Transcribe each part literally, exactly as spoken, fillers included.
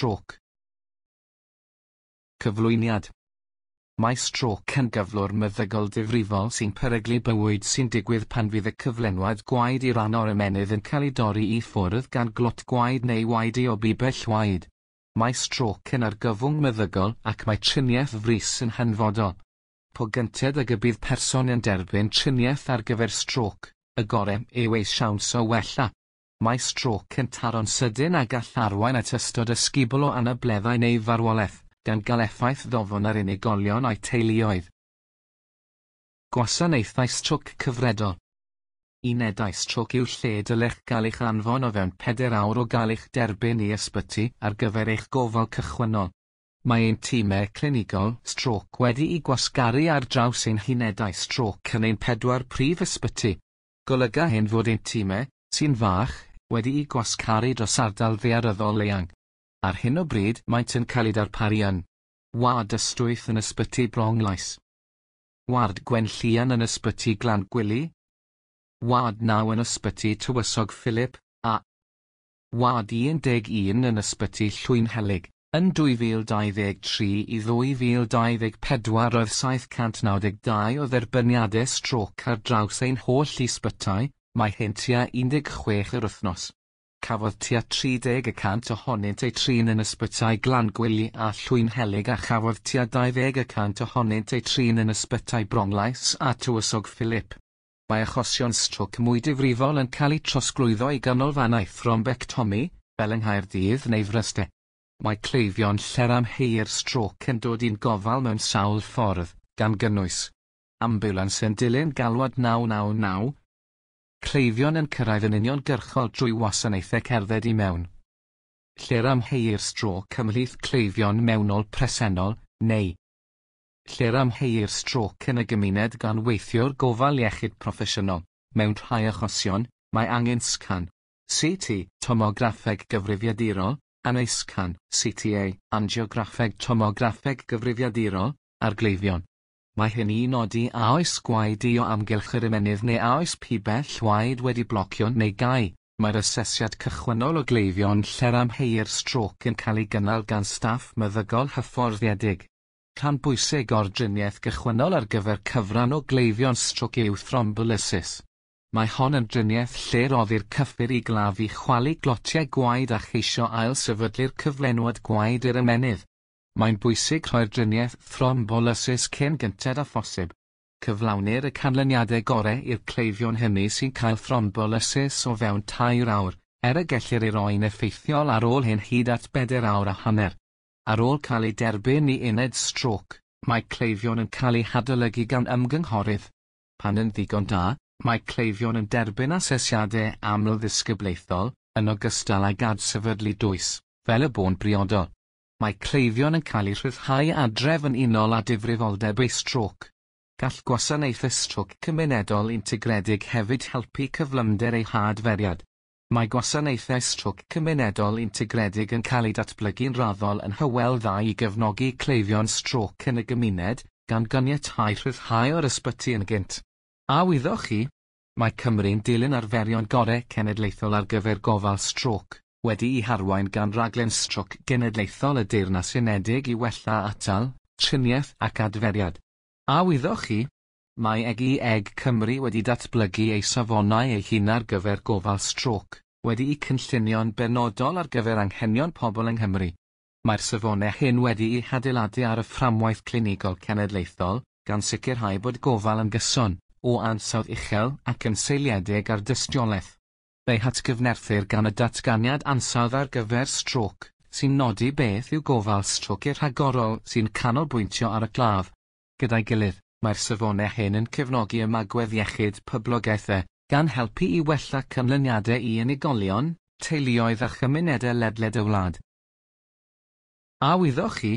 strôc. Cyflwyniad. Mae strôc yn gyflwr meddygol difrifol sy'n peryglu bywyd sy'n digwydd pan fydd y cyflenwad gwaed i ran o'r ymennydd yn cael ei dorri i ffwrdd gan glot gwaed neu waedu o bibell waed. Mae strôc yn argyfwng meddygol ac mae triniaeth frys yn hanfodol. Po gynted ag y bydd person yn derbyn triniaeth ar gyfer strôc, y gorau yw ei siawns o wella. Mae strôc yn taro'n sydyn a gall arwain at ystod ysgubol o anableddau neu farwolaeth, gan gael effaith ddofn ar unigolion a'u teuluoedd. Gwasanaethau strôc cyfredol. Unedau strôc yw lle dylech gael eich anfon o fewn pedair awr o gael eich derbyn i ysbyty ar gyfer eich gofal cychwynnol. Mae ein timau clinigol strôc wedi'u gwasgaru ar draws ein hunedau strôc yn ein pedwar prif ysbyty. Golyga hyn fod ein timau, sy'n fach, wedi'u gwasgaru dros ardal ddaearyddol eang. Ar hyn o bryd maent yn cael eu darparu yn Ward Ystwyth yn Ysbyty Bronglais, Ward Gwenllian yn Ysbyty Glangwili, Ward naw yn Ysbyty Tywysog Philip, a Ward un deg un yn Ysbyty Llwynhelyg. Yn dwy fil dau ddeg tri i ddwy fil dau ddeg pedwar roedd saith cant naw deg dau o dderbyniadau strôc ar draws ein holl ysbytai, mae hyn tua un deg chwech yr wythnos. Cafodd tua tri deg y cant ohonynt eu trin yn ysbytai Glangwili a Llwynhelyg a chafodd tua dau ddeg y cant ohonynt eu trin yn ysbytai Bronglais a Tywysog Philip. Mae achosion strôc mwy difrifol yn cael eu trosglwyddo i ganolfannau thrombectomi, fel yng Nghaerdydd neu Fryste. Mae cleifion lle'r amheuir strôc yn dod i'n gofal mewn sawl ffordd, gan gynnwys ambiwlans yn dilyn galwad naw naw naw, cleifion yn cyrraedd yn uniongyrchol drwy wasanaethau cerdded i mewn, lle'r amheuir strôc ymhlith cleifion mewnol presennol, neu lle'r amheuir strôc yn y gymuned gan weithiwr gofal iechyd proffesiynol. Mewn rhai achosion, mae angen sgan, C T, tomograffeg gyfrifiadurol, anescan, C T A, angiograffeg tomograffeg gyfrifiadurol, ar gleifion. Mae hyn i nodi a oes gwaed i o amgylch yr ymennydd neu a oes pibell waed wedi blocio neu gau. Mae'r asesiad cychwynnol o gleifion lle'r amheuir strôc yn cael ei gynnal gan staff meddygol hyfforddiedig. Rhan bwysig o'r driniaeth gychwynnol ar gyfer cyfran o gleifion strôc yw thrombolysis. Mae hon yn driniaeth lle roddir cyffur i glaf i chwalu glotiau gwaed a cheisio ailsefydlu'r cyflenwad gwaed i'r ymennydd. Mae'n bwysig rhoi'r driniaeth thrombolysis cyn gynted â phosib. Cyflawnir y canlyniadau gorau i'r cleifion hynny sy'n cael thrombolysis o fewn tair awr, er y gellir ei roi'n effeithiol ar ôl hyn hyd at bedair awr a hanner. Ar ôl cael ei derbyn i uned strôc, mae cleifion yn cael eu hadolygu gan ymgynghorydd. Pan yn ddigon da, mae cleifion yn derbyn asesiadau amlddisgyblaethol, yn ogystal ag adsefydlu dwys, fel y bo'n briodol. Mae cleifion yn cael eu rhyddhau adref yn unol â difrifoldeb eu strôc. Gall gwasanaethau strôc cymunedol integredig hefyd helpu cyflymder eu hadferiad. Mae gwasanaethau strôc cymunedol integredig yn cael eu datblygu'n raddol yn Hywel Dda i gefnogi cleifion strôc yn y gymuned, gan ganiatáu rhyddhau o'r ysbyty yn gynt. A wyddoch chi? Mae Cymru'n dilyn arferion gorau cenedlaethol ar gyfer gofal strôc, wedi'i harwain gan raglen strôc genedlaethol y Deyrnas Unedig i wella atal, triniaeth ac adferiad. A wyddoch chi? Mae E G E G Cymru wedi datblygu ei safonau ei hun ar gyfer gofal strôc, wedi'u cynllunio'n benodol ar gyfer anghenion pobl yng Nghymru. Mae'r safonau hyn wedi'u hadeiladu ar y fframwaith clinigol cenedlaethol, gan sicrhau bod gofal yn gyson, o ansawdd uchel ac yn seiliedig ar dystiolaeth. Fe'i hatgyfnerthir gan y datganiad ansawdd ar gyfer strôc, sy'n nodi beth yw gofal strôc i'r rhagorol sy'n canolbwyntio ar y claf. Gyda'i gilydd, mae'r safonau hyn yn cefnogi ymagwedd iechyd poblogaethau, gan helpu i wella canlyniadau i unigolion, teuluoedd a chymunedau ledled y wlad. A wyddoch chi?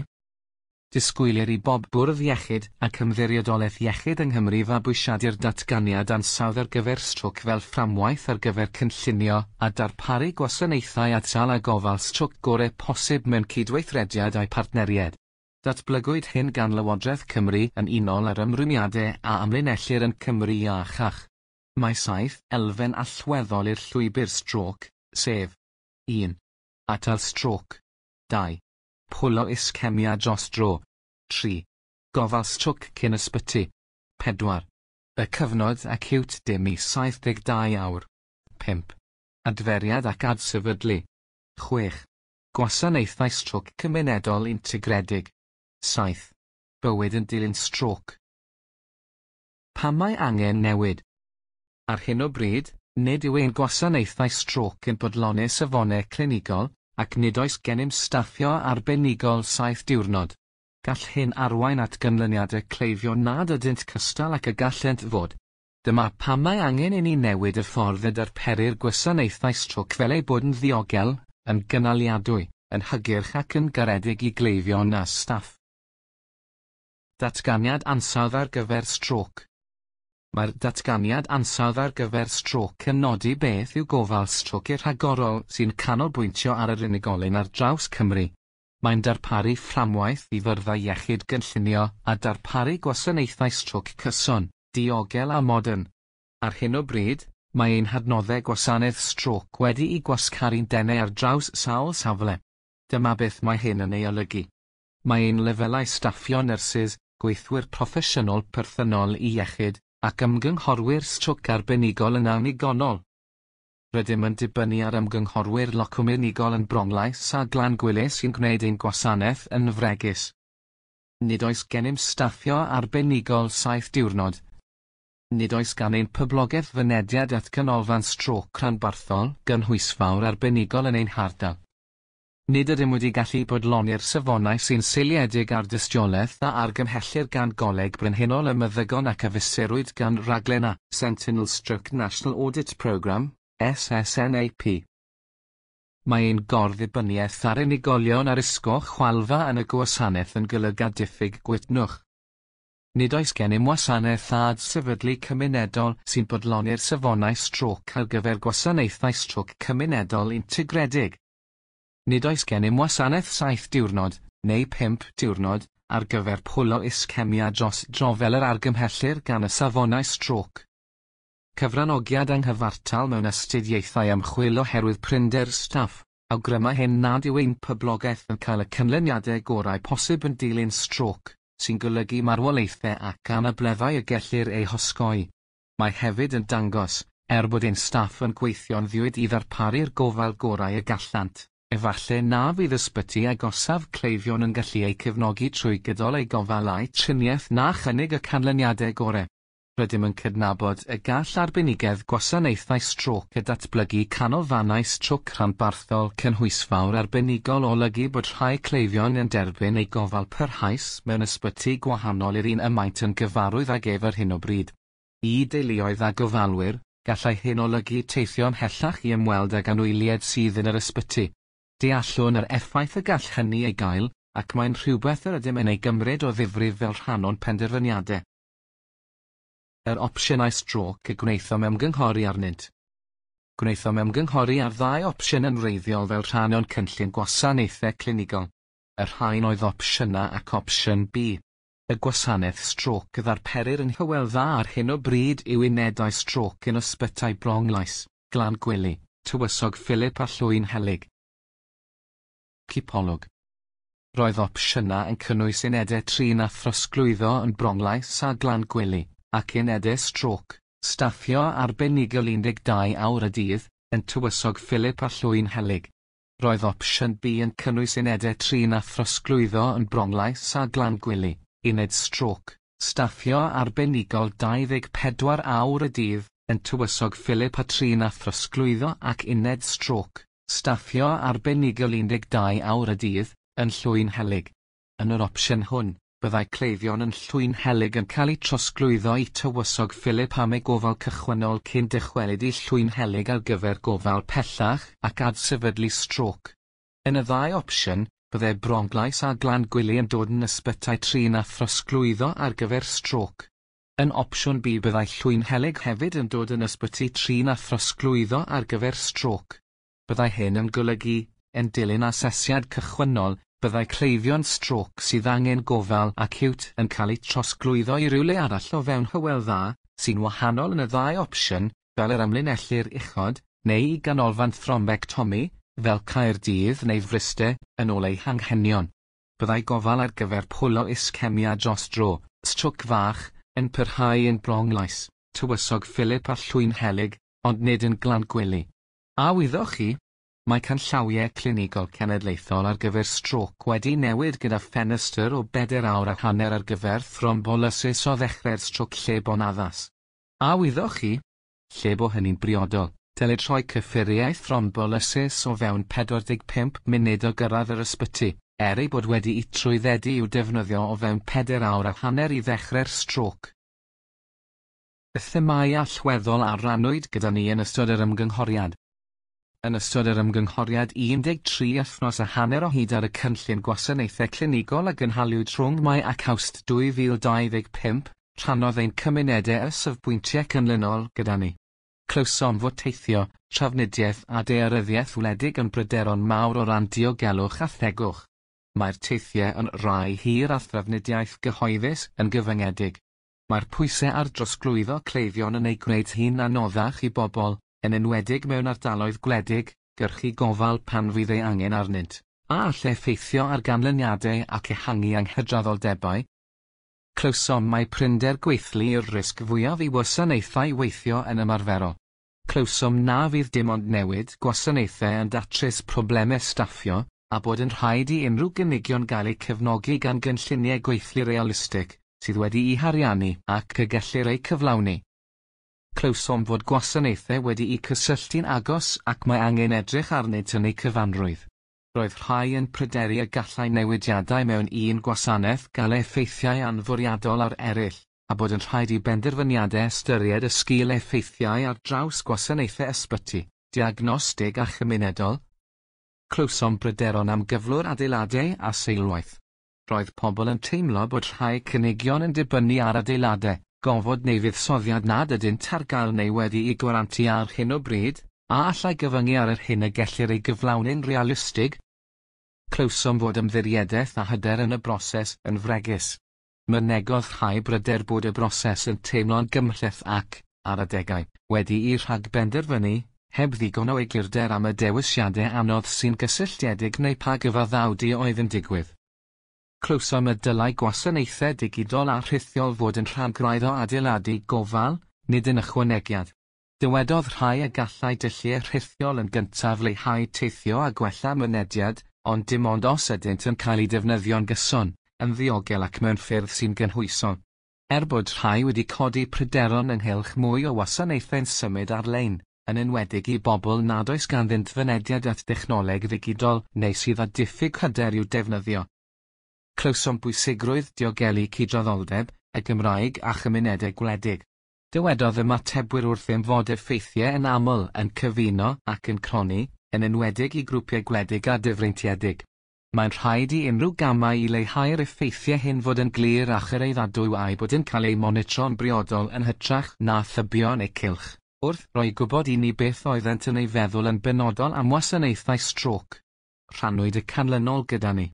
Disgwylir i bob bwrdd iechyd ac ymddiriedolaeth iechyd yng Nghymru fabwysiadu'r datganiad ansawdd ar gyfer strôc fel fframwaith ar gyfer cynllunio a darparu gwasanaethau atal a gofal strôc gorau posib mewn cydweithrediad â'i partneriaid. Datblygwyd hyn gan Lywodraeth Cymru yn unol â'r ymrwymiadau a amlinellir yn Cymru Iachach. Mae saith elfen allweddol i'r llwybr strôc, sef un. Atal strôc. Dau. Pwlo iscemia dros dro. Tri. Gofal strôc cyn ysbyty. Pedwar. Y cyfnod acíwt dim i saith deg dau awr. Pump. Adferiad ac adsefydlu. Chwech. Gwasanaethau strôc cymunedol integredig. Saith. Bywyd yn dilyn strôc. Pam mae angen newid? Ar hyn o bryd, nid yw ein gwasanaethau strôc yn bodloni safonau clinigol, ac nid oes gennym staffio arbenigol saith diwrnod. Gall hyn arwain at ganlyniadau cleifion nad ydynt cystal ac y gallent fod. Dyma pam mae angen i ni newid y ffordd y darperir gwasanaethau strôc fel eu bod yn ddiogel, yn gynaliadwy, yn hygyrch ac yn garedig i gleifion a staff. Datganiad ansawdd ar gyfer strôc. Mae'r datganiad ansawdd ar gyfer strôc yn nodi beth yw gofal strôc i'r rhagorol sy'n canolbwyntio ar yr unigolyn ar draws Cymru. Mae'n darparu fframwaith i fyrddau iechyd gynllunio a darparu gwasanaethau strôc cyson, diogel a modern. Ar hyn o bryd, mae ein hadnoddau gwasanaeth strôc wedi'i gwasgaru'n denau ar draws sawl safle. Dyma beth mae hyn yn ei olygu. Mae ein lefelau staffio nyrsys, gweithwyr proffesiynol perthynol i iechyd, ac ymgynghorwyr strôc arbenigol yn annigonol. Rydym yn dibynnu ar ymgynghorwyr locwm unigol yn Bronglais a Glangwili sy'n gwneud ein gwasanaeth yn fregus. Nid oes gennym staffio arbenigol saith diwrnod. Nid oes gan ein poblogaeth fynediad at ganolfan strôc rhanbarthol gynhwysfawr arbenigol yn ein hardal. Nid ydym wedi gallu bodloni'r safonau sy'n seiliedig ar dystiolaeth a argymhellir gan Goleg Brenhinol y Meddygon ac a fesurwyd gan raglen a Sentinel Stroke National Audit Programme, S S N A P. Mae ein gorddibyniaeth ar unigolion ar isgo chwalfa yn y gwasanaeth yn golygu diffyg gwytnwch. Nid oes gennym wasanaeth adsefydlu cymunedol sy'n bodloni'r safonau strôc ar gyfer gwasanaethau strôc cymunedol integredig. Nid oes gennym wasanaeth saith diwrnod, neu pump diwrnod, ar gyfer pwlo iscemia dros dro fel yr argymhellir gan y safonau strôc. Cyfranogiad anghyfartal mewn astudiaethau ymchwil oherwydd prinder staff, awgryma hyn nad yw ein poblogaeth yn cael y canlyniadau gorau posib yn dilyn strôc, sy'n golygu marwolaethau ac anableddau y gellir eu hosgoi. Mae hefyd yn dangos, er bod ein staff yn gweithio'n ddiwyd i ddarparu'r gofal gorau y gallant, efallai na fydd ysbyty agosaf cleifion yn gallu eu cefnogi trwy gydol eu gofal a'u triniaeth na chynnig y canlyniadau gorau. Rydym yn cydnabod y gall arbenigedd gwasanaethau strôc a datblygu canolfannau strôc rhanbarthol cynhwysfawr arbenigol olygu bod rhai cleifion yn derbyn eu gofal parhaus mewn ysbyty gwahanol i'r un y maent yn gyfarwydd ag ef ar hyn o bryd. I deuluoedd a gofalwyr, gallai hyn olygu teithio ymhellach i ymweld ag anwyliaid sydd yn yr ysbyty. Deallwn yr effaith y gall hynny ei gael, ac mae'n rhywbeth yr ydym yn ei gymryd o ddifrif fel rhan o'n penderfyniadau. Yr opsiynau strôc y gwnaethom ymgynghori arnynt. Gwnaethom ymgynghori ar ddau opsiwn yn wreiddiol fel rhan o'n cynllun gwasanaethau clinigol. Y rhain oedd opsiwn A ac opsiwn B. Y gwasanaeth strôc y ddarperir yn Hywel Dda ar hyn o bryd yw unedau strôc yn ysbytai Bronglais, Glangwili, Tywysog Philip a Llwynhelyg. Cipolwg. Roedd opsiwn A yn cynnwys unedau trin a throsglwyddo yn Bronglais a Glangwili, ac unedau strôc, staffio arbenigol un deg dau awr y dydd, yn Tywysog Philip a Llwynhelyg. Roedd opsiwn B yn cynnwys unedau trin a throsglwyddo yn Bronglais a Glangwili, uned strôc, staffio arbenigol dau ddeg pedwar awr y dydd, yn Tywysog Philip a trin a throsglwyddo ac uned strôc, staffio arbenigol un deg dau awr y dydd, yn Llwynhelyg. Yn yr opsiwn hwn, byddai cleifion yn Llwynhelyg yn cael eu trosglwyddo i Tywysog Philip am eu gofal cychwynnol cyn dychwelyd i Llwynhelyg ar gyfer gofal pellach ac adsefydlu strôc. Yn y ddau opsiwn, byddai Bronglais a Glangwili yn dod yn ysbytai trin a throsglwyddo ar gyfer strôc. Yn opsiwn B byddai Llwynhelyg hefyd yn dod yn ysbyty trin a throsglwyddo ar gyfer strôc. Byddai hyn yn golygu, yn dilyn asesiad cychwynnol, byddai cleifion strôc sydd angen gofal acíwt yn cael eu trosglwyddo i rywle arall o fewn Hywel Dda, sy'n wahanol yn y ddau opsiwn, fel yr amlinellir uchod, neu i ganolfan thrombectomi, fel Caerdydd neu Fryste, yn ôl eu hanghenion. Byddai gofal ar gyfer pwl o iscemia dros dro, strôc fach, yn parhau yn Bronglais, Tywysog Philip a Llwynhelyg, ond nid yn Glangwili. A wyddoch chi? Mae canllawiau clinigol cenedlaethol ar gyfer strôc wedi newid gyda ffenestr o bedair awr a hanner ar gyfer thrombolysis o ddechrau'r strôc lle bo'n addas. A wyddoch chi? Lle bo hynny'n briodol, dylid rhoi cyffuriau thrombolysis o fewn pedwar deg pump munud o gyrraedd yr ysbyty, er ei bod wedi'i trwyddedu i'w defnyddio o fewn pedair awr a hanner i ddechrau'r strôc. Y themâu allweddol a rannwyd gyda ni yn ystod yr ymgynghoriad. Yn ystod yr ymgynghoriad un deg tri wythnos a hanner o hyd ar y cynllun gwasanaethau clinigol a gynhaliwyd rhwng Mai ac Awst dwy fil dau ddeg pump, rhannodd ein cymunedau y safbwyntiau canlynol gyda ni. Clywsom fod teithio, trafnidiaeth a daearyddiaeth wledig yn bryderon mawr o ran diogelwch a thegwch. Mae'r teithiau yn rhai hir a thrafnidiaeth gyhoeddus yn gyfyngedig. Mae'r pwysau ar drosglwyddo cleifion yn ei gwneud hi'n anoddach i bobl, yn enwedig mewn ardaloedd gwledig, gyrchu gofal pan fydd ei angen arnynt, a all effeithio ar ganlyniadau ac ehangu anghydraddoldebau. Clywsom mai prinder gweithlu yw'r risg fwyaf i wasanaethau weithio yn ymarferol. Clywsom na fydd dim ond newid gwasanaethau yn datrys problemau staffio, a bod yn rhaid i unrhyw gynigion gael eu cefnogi gan gynlluniau gweithlu realistig, sydd wedi'u hariannu ac y gellir eu cyflawni. Clywsom fod gwasanaethau wedi'u cysylltu'n agos ac mae angen edrych arnynt yn eu cyfanrwydd. Roedd rhai yn pryderu y gallai newidiadau mewn un gwasanaeth gael effeithiau anfwriadol ar eraill, a bod yn rhaid i benderfyniadau ystyried y sgil effeithiau ar draws gwasanaethau ysbyty, diagnostig a chymunedol. Clywsom bryderon am gyflwr adeiladau a seilwaith. Roedd pobl yn teimlo bod rhai cynigion yn dibynnu ar adeiladau, gofod neu fuddsoddiad nad ydynt ar gael neu wedi'u gwarantu ar hyn o bryd, a allai gyfyngu ar yr hyn y gellir ei gyflawni'n realistig. Clywsom fod ymddiriedaeth a hyder yn y broses yn fregus. Mynegodd rhai bryder bod y broses yn teimlo'n gymhleth ac, ar adegau, wedi'i rhagbenderfynu, heb ddigon o eglurder am y dewisiadau anodd sy'n gysylltiedig neu pa gyfaddawdu oedd yn digwydd. Clywsom y dylai gwasanaethau digidol a rhithiol fod yn rhan graidd o adeiladu gofal, nid yn ychwanegiad. Dywedodd rhai y gallai dulliau rhithiol yn gyntaf leihau teithio a gwella mynediad, ond dim ond os ydynt yn cael eu defnyddio'n gyson, yn ddiogel ac mewn ffyrdd sy'n gynhwysol. Er bod rhai wedi codi pryderon ynghylch mwy o wasanaethau'n symud ar-lein, yn enwedig i bobl nad oes ganddynt fynediad at dechnoleg ddigidol neu sydd â diffyg hyder i'w defnyddio. Clywsom bwysigrwydd diogelu cydraddoldeb, y Gymraeg a chymunedau gwledig. Dywedodd ymatebwyr wrthym fod effeithiau yn aml yn cyfuno ac yn cronni, yn enwedig i grwpiau gwledig a difreintiedig. Mae'n rhaid i unrhyw gamau i leihau'r effeithiau hyn fod yn glir a chyraeddadwy a'u bod yn cael eu monitro'n briodol yn hytrach na thybio neu cylch, wrth roi gwybod i ni beth oeddent yn ei feddwl yn benodol am wasanaethau strôc. Rhannwyd y canlynol gyda ni.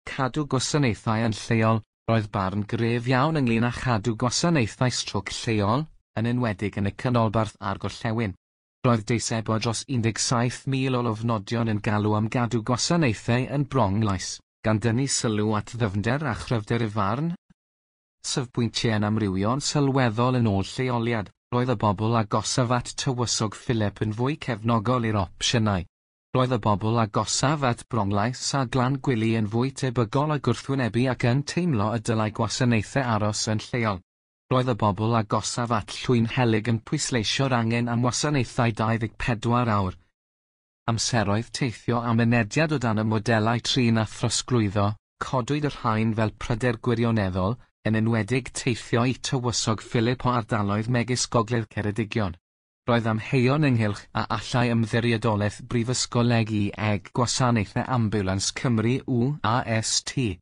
Cadw gwasanaethau yn lleol, roedd barn gref iawn ynglŷn â chadw gwasanaethau strôc lleol, yn enwedig yn y canolbarth a'r gorllewin. Roedd deisebau dros un deg saith mil o lofnodion yn galw am gadw gwasanaethau yn Bronglais, gan dynnu sylw at ddyfnder a chryfder y farn. Safbwyntiau'n amrywio'n sylweddol yn ôl lleoliad, roedd y bobl agosaf at Tywysog Philip yn fwy cefnogol i'r opsiynau. Roedd y bobl agosaf at Bronglais a Glangwili yn fwy tebygol o gwrthwynebu ac yn teimlo y dylai gwasanaethau aros yn lleol. Roedd y bobl agosaf at Llwynhelyg yn pwysleisio'r angen am wasanaethau dau ddeg pedwar awr. Amseroedd teithio a mynediad o dan y modelau trin a throsglwyddo, codwyd y rhain fel pryder gwirioneddol, yn enwedig teithio i Tywysog Philip o ardaloedd megis Gogledd Ceredigion. Roedd amheuon ynghylch a allai Ymddiriedolaeth Brifysgol E G Gwasanaethau Ambiwlans Cymru U A S T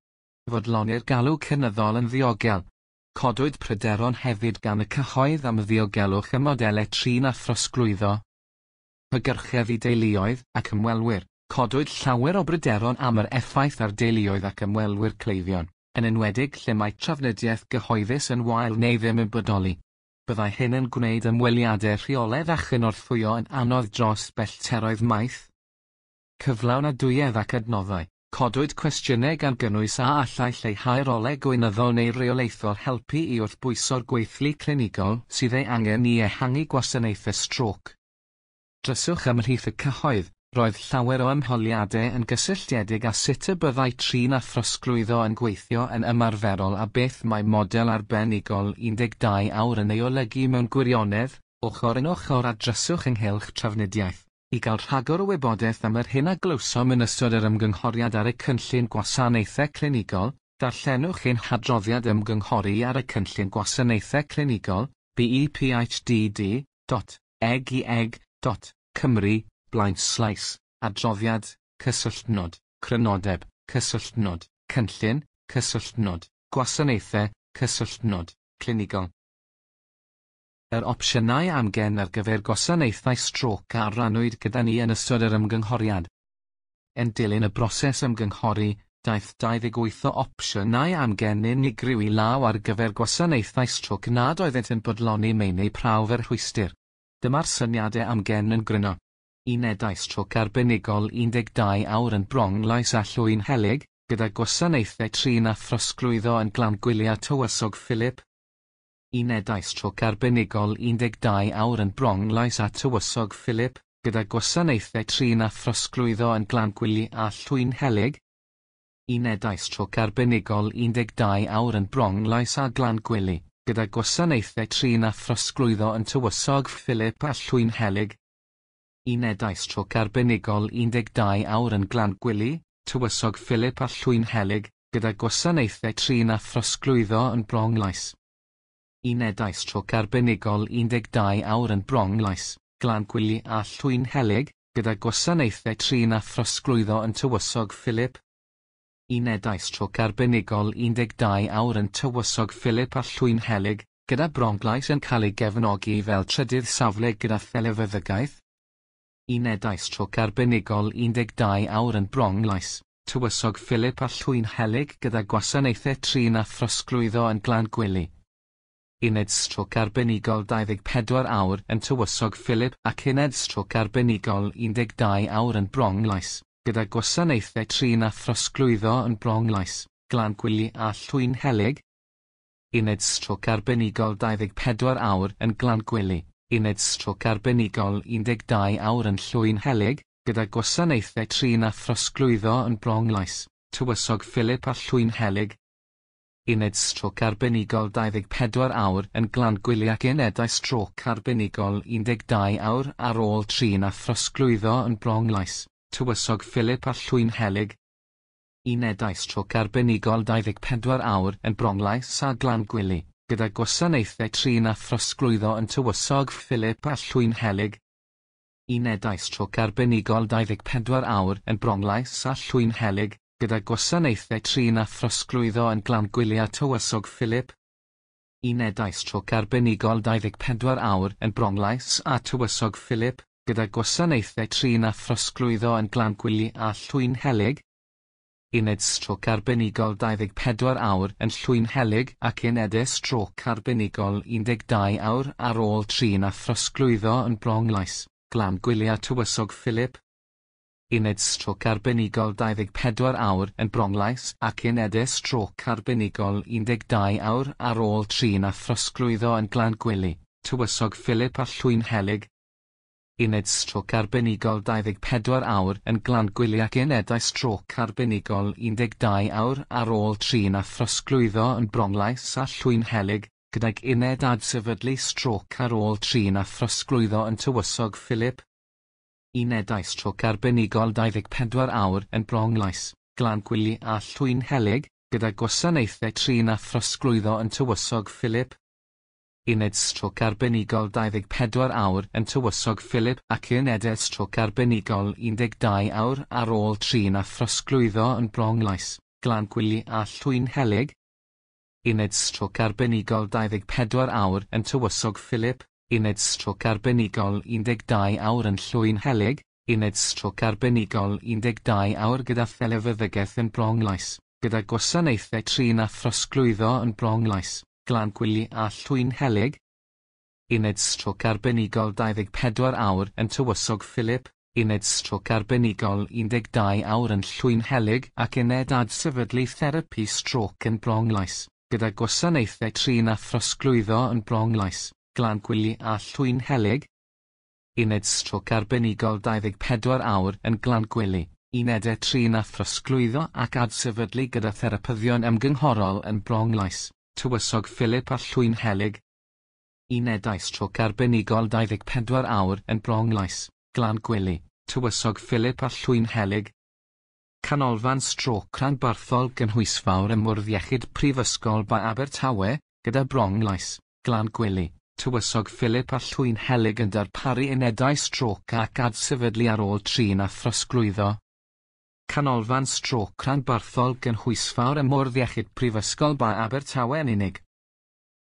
fodloni'r galw cynyddol yn ddiogel. Codwyd pryderon hefyd gan y cyhoedd am ddiogelwch y modelau trin a throsglwyddo. Hygyrchedd i deuluoedd ac ymwelwyr. Codwyd llawer o bryderon am yr effaith ar deuluoedd ac ymwelwyr cleifion, yn enwedig lle mae trafnidiaeth gyhoeddus yn wael neu ddim yn bodoli. Byddai hyn yn gwneud ymweliadau rheolaidd a chynorthwyo yn anodd dros bellteroedd maith. Cyflawnadwyedd ac adnoddau, codwyd cwestiynau gan gynnwys a allai lleihau rolau gweinyddol neu reolaethol helpu i wrthbwyso'r gweithlu clinigol sydd ei angen i ehangu gwasanaethau strôc. Dryswch ymhlith y cyhoedd, roedd llawer o ymholiadau yn gysylltiedig â sut y byddai trin a throsglwyddo yn gweithio yn ymarferol a beth mae model arbenigol un deg dau awr yn ei olygu mewn gwirionedd, ochr yn ochr â dryswch ynghylch trafnidiaeth. I gael rhagor o wybodaeth am yr hyn a glywsom yn ystod yr ymgynghoriad ar y cynllun gwasanaethau clinigol, darllenwch ein hadroddiad ymgynghori ar y cynllun gwasanaethau clinigol, B E P H D D dot E G E G dot Cymru, blaenslaes, adroddiad, cysylltnod, crynodeb, cysylltnod, cynllun, cysylltnod, gwasanaethau, cysylltnod, clinigol. Yr opsiynau amgen ar gyfer gwasanaethau strôc a rannwyd gyda ni yn ystod yr ymgynghoriad. Yn dilyn y broses ymgynghori, daeth dau ddeg wyth o opsiynau amgen unigryw i law ar gyfer gwasanaethau strôc nad oeddent yn bodloni meini prawf yr rhwystr. Dyma'r syniadau amgen yn gryno. Unedau strôc arbenigol un deg dau awr yn Bronglais a Llwynhelyg, gyda gwasanaethau trin a throsglwyddo yn Glangwili a Tywysog Philip. Unedau strôc arbenigol un deg dau awr yn Bronglais a Tywysog Philip, gyda gwasanaethau trin a throsglwyddo yn Glangwili a Llwynhelyg. Unedau strôc arbenigol un deg dau awr yn Bronglais a Glangwili, gyda gwasanaethau trin a throsglwyddo yn Tywysog Philip a Llwynhelyg. Unedau strôc arbenigol un deg dau awr yn Glangwili, Tywysog Philip a Llwynhelyg, gyda gwasanaethau trin a throsglwyddo yn Bronglais. Unedau strôc arbenigol un deg dau awr yn Bronglais, Glangwili a Llwynhelyg, gyda gwasanaethau trin a throsglwyddo yn Tywysog Philip. Unedau strôc arbenigol un deg dau awr yn Tywysog Philip a Llwynhelyg, gyda Bronglais yn cael ei gefnogi fel trydydd safle gyda thelefeddygaeth. Unedau strôc arbenigol un deg dau awr yn Bronglais, Tywysog Philip a Llwynhelyg gyda gwasanaethau trin a throsglwyddo yn Glangwili. Uned strôc arbenigol dau ddeg pedwar awr yn Tywysog Philip ac uned strôc arbenigol un deg dau awr yn Bronglais, gyda gwasanaethau trin a throsglwyddo yn Bronglais, Glangwili a Llwynhelyg. Uned strôc arbenigol dau ddeg pedwar awr yn Glangwili, uned strôc arbenigol un deg dau awr yn Llwynhelyg, gyda gwasanaethau trin a throsglwyddo yn Bronglais, Tywysog Philip a Llwynhelyg. Uned strôc arbenigol dau ddeg pedwar awr yn Glangwili ac unedau strôc arbenigol un deg dau awr ar ôl trin a throsglwyddo yn Bronglais, Tywysog Philip a Llwynhelyg. Unedau strôc arbenigol dau ddeg pedwar awr yn Bronglais a Glangwili, gyda gwasanaethau trin a throsglwyddo yn Tywysog Philip a Llwynhelyg. Unedau strôc arbenigol dau ddeg pedwar awr yn Bronglais a Llwynhelyg, gyda gwasanaethau trin a throsglwyddo yn Glangwili a Tywysog Philip. Unedau strôc arbenigol dau ddeg pedwar awr yn Bronglais a Tywysog Philip, gyda gwasanaethau trin a throsglwyddo yn Glangwili a Llwynhelyg. Uned strôc arbenigol dau ddeg pedwar awr yn Llwynhelyg ac unedau strôc arbenigol un deg dau awr ar ôl trin a throsglwyddo yn Bronglais, Glangwili a Tywysog Philip. Uned strôc arbenigol dau ddeg pedwar awr yn Bronglais ac unedau strôc arbenigol un deg dau awr ar ôl trin a throsglwyddo yn Glangwili, Tywysog Philip a Llwynhelyg. Uned strôc arbenigol dau ddeg pedwar awr yn Glangwili ac unedau strôc arbenigol un deg dau awr ar ôl trin a throsglwyddo yn Bronglais a Llwynhelyg, gydag uned adsefydlu strôc ar ôl trin a throsglwyddo yn Tywysog Philip. Unedau strôc arbenigol dau ddeg pedwar awr yn Bronglais, Glangwili a Llwynhelyg, gyda gwasanaethau trin a throsglwyddo yn Tywysog Philip. Uned strôc arbenigol dau ddeg pedwar awr yn Tywysog Philip ac unedau strôc arbenigol un deg dau awr ar ôl trin a throsglwyddo yn Bronglais, Glangwili a Llwynhelyg. Uned strôc arbenigol dau ddeg pedwar awr yn Tywysog Philip, uned strôc arbenigol un deg dau awr yn Llwynhelyg, uned strôc arbenigol un deg dau awr gyda thelefeddygaeth yn Bronglais, gyda gwasanaethau trin a throsglwyddo yn Bronglais, Glangwili a Llwynhelyg. Uned strôc arbenigol dau ddeg pedwar awr yn Tywysog Philip, Uned Strôc Arbenigol un deg dau awr yn Llwynhelyg ac Uned Adsefydlu Therapi Strôc yn Bronglais, gyda gwasanaethau trin a throsglwyddo yn Bronglais, Glangwili a Llwynhelyg. Uned Strôc Arbenigol dau ddeg pedwar awr yn Glangwili, Unedau Trin a Throsglwyddo ac Adsefydlu gyda therapyddion ymgynghorol yn Bronglais, Tywysog Philip a Llwynhelyg. Unedau Strôc Arbenigol dau ddeg pedwar awr yn Bronglais, Glangwili, Tywysog Philip a Llwynhelyg. Canolfan Strôc Rhanbarthol Gynhwysfawr ym Mwrdd Iechyd Prifysgol Bae Abertawe, gyda Bronglais, Glangwili, Tywysog Philip a Llwynhelyg yn darparu unedau strôc ac adsefydlu ar ôl trin a throsglwyddo. Canolfan Strôc Rhanbarthol Gynhwysfawr ym Mwrdd Iechyd Prifysgol Bae Abertawe yn unig.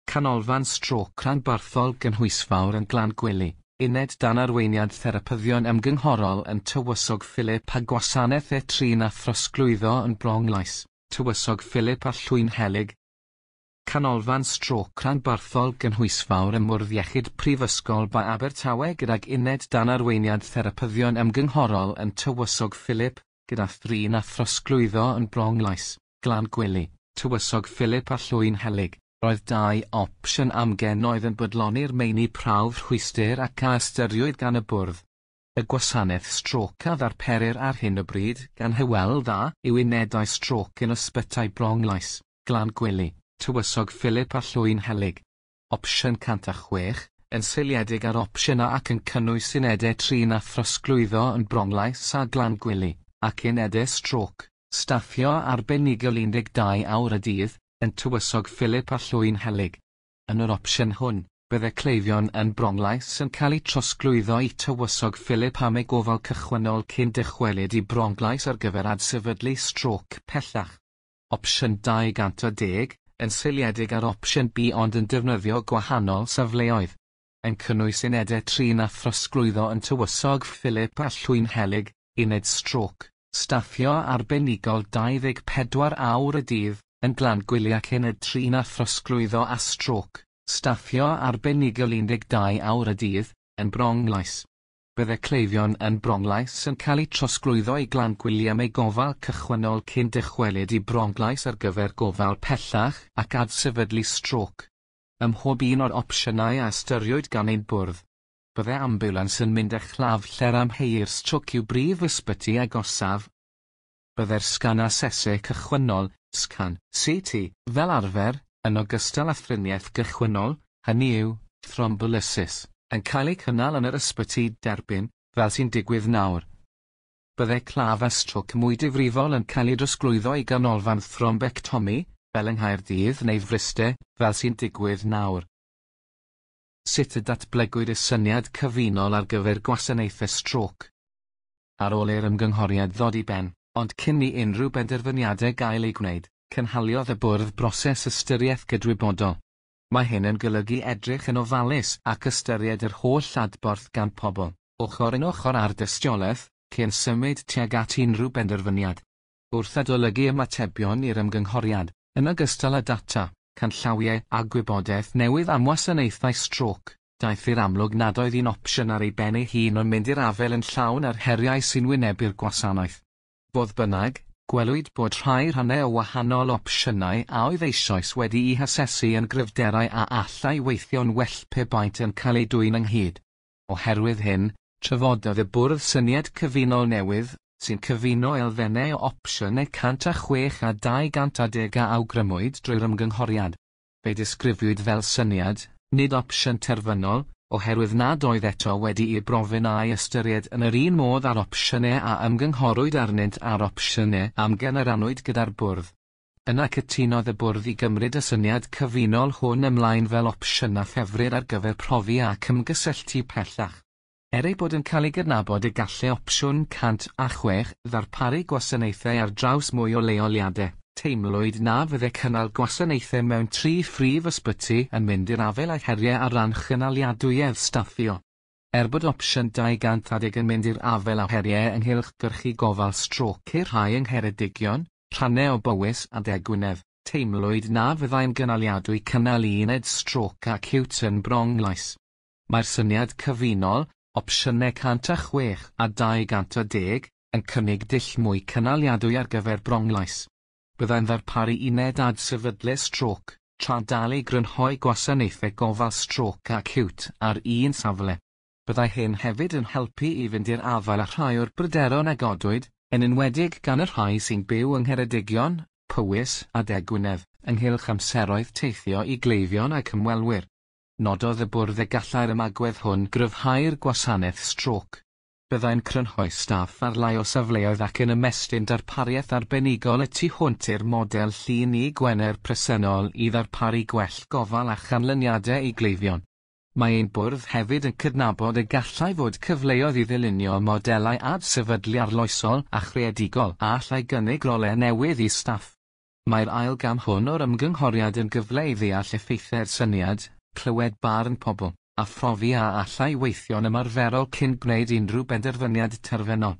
Canolfan Strôc Rhanbarthol Gynhwysfawr yn Glangwili, Uned dan arweiniad therapyddion ymgynghorol yn Tywysog Philip a gwasanaethau trin a throsglwyddo yn Bronglais, Tywysog Philip a Llwynhelyg. Canolfan Strôc Rhanbarthol Gynhwysfawr ym Mwrdd Iechyd Prifysgol Bae Abertawe gydag uned dan arweiniad therapyddion ymgynghorol yn Tywysog Philip, gyda thrin a throsglwyddo yn Bronglais, Glangwili, Tywysog Philip a Llwynhelyg. Roedd dau opsiwn amgen oedd yn bodloni'r meini prawf rhwystr ac a ystyriwyd gan y bwrdd. Y gwasanaeth strôc a ddarperir ar hyn o bryd gan Hywel Dda yw unedau strôc yn ysbytai Bronglais, Glangwili, Tywysog Philip a Llwynhelyg. Opsiwn cant a chwech, yn seiliedig ar opsiwn A ac yn cynnwys unedau trin a throsglwyddo yn Bronglais a Glangwili, ac unedau strôc, staffio arbenigol un deg dau awr y dydd, yn Tywysog Philip a Llwynhelyg. Yn yr opsiwn hwn, byddai cleifion yn Bronglais yn cael eu trosglwyddo i Tywysog Philip am eu gofal cychwynnol cyn dychwelyd i Bronglais ar gyfer adsefydlu strôc pellach. Opsiwn dau gant a deg, yn seiliedig ar opsiwn B ond yn defnyddio gwahanol safleoedd, yn cynnwys unedau trin a throsglwyddo yn Tywysog Philip a Llwynhelyg, uned strôc, staffio arbenigol dau ddeg pedwar awr y dydd, yn Glangwili ac uned trin a throsglwyddo a strôc, staffio arbenigol un deg dau awr y dydd, yn Bronglais. Byddai cleifion yn Bronglais yn cael eu trosglwyddo i Glangwili am eu gofal cychwynnol cyn dychwelyd i Bronglais ar gyfer gofal pellach ac adsefydlu strôc. Ym mhob un o'r opsiynau a ystyriwyd gan ein bwrdd, byddai ambiwlans yn mynd â chlaf lle'r amheuir strôc i'w brif ysbyty agosaf. Byddai'r sgan asesu cychwynnol, sgan C T, fel arfer, yn ogystal â thriniaeth gychwynnol, hynny yw, thrombolysis, yn cael ei cynnal yn yr ysbyty derbyn, fel sy'n digwydd nawr. Byddai claf â strôc mwy difrifol yn cael ei drosglwyddo i ganolfan thrombectomi, fel yng Nghaerdydd neu Fryste, fel sy'n digwydd nawr. Sut y datblygwyd y syniad cyfunol ar gyfer gwasanaethau strôc? Ar ôl i'r ymgynghoriad ddod i ben, ond cyn i unrhyw benderfyniadau gael eu gwneud, cynhaliodd y bwrdd broses ystyriaeth gydwybodol. Mae hyn yn golygu edrych yn ofalus ac ystyried yr holl adborth gan pobl, ochr yn ochr â'r dystiolaeth, cyn symud tuag at unrhyw benderfyniad. Wrth adolygu ymatebion i'r ymgynghoriad, yn ogystal â data, canllawiau a gwybodaeth newydd am wasanaethau strôc, daeth i'r amlwg nad oedd un opsiwn ar ei ben ei hun yn mynd i'r afael yn llawn â'r heriau sy'n wynebu'r gwasanaeth. Fodd bynnag, gwelwyd bod rhai rhannau o wahanol opsiynau a oedd eisoes wedi'u hasesu yn gryfderau a allai weithio'n well pe baent yn cael eu dwyn ynghyd. Oherwydd hyn, trafododd y bwrdd syniad cyfunol newydd, sy'n cyfuno elfennau o opsiynau cant a chwech a dau gant a deg a awgrymwyd drwy'r ymgynghoriad. Fe'i disgrifiwyd fel syniad, nid opsiwn terfynol, oherwydd nad oedd eto wedi'i brofi'n a'i ystyried yn yr un modd â'r opsiynau a ymgynghorwyd arnynt a'r opsiynau amgen a rannwyd gyda'r bwrdd. Yna cytunodd y bwrdd i gymryd y syniad cyfunol hwn ymlaen fel opsiwn a ffefrir ar gyfer profi ac ymgysylltu pellach. Er ei bod yn cael ei gydnabod y gallai opsiwn cant a chwech ddarparu gwasanaethau ar draws mwy o leoliadau, teimlwyd na fyddai cynnal gwasanaethau mewn tri phrif ysbyty yn mynd i'r afael â heriau ar ran chynaliadwyedd staffio. Er bod opsiwn dau gant a deg yn mynd i'r afael â heriau ynghylch gyrchu gofal strôc i'r rhai yng Ngheredigion, rhannau o Bowys a De Gwynedd, teimlwyd na fyddai'n gynaliadwy cynnal uned strôc acíwt yn Bronglais. Mae'r syniad cyfunol, opsiynau cant a chwech a dau gant a deg, yn cynnig dull mwy cynaliadwy ar gyfer Bronglais. Byddai'n ddarparu uned adsefydlu strôc, tra dal i grynhoi gwasanaethau gofal strôc acíwt ar un safle. Byddai hyn hefyd yn helpu i fynd i'r afael â rhai o'r bryderon a godwyd, yn enwedig gan y rhai sy'n byw yng Ngheredigion, Powys a De Gwynedd, ynghylch amseroedd teithio i gleifion ac ymwelwyr. Nododd y bwrdd y gallai'r ymagwedd hwn gryfhau'r gwasanaeth strôc. Byddai'n crynhoi staff ar lai o safleoedd ac yn ymestyn darpariaeth arbenigol y tu hwnt i'r model Llun i Gwener presennol i ddarparu gwell gofal a chanlyniadau i gleifion. Mae ein bwrdd hefyd yn cydnabod y gallai fod cyfleoedd i ddylunio modelau adsefydlu arloesol a chreadigol a allai gynnig rolau newydd i staff. Mae'r ail gam hwn o'r ymgynghoriad yn gyfle i ddeall effeithiau'r syniad, clywed barn pobl, a phrofi a allai weithio'n ymarferol cyn gwneud unrhyw benderfyniad terfynol.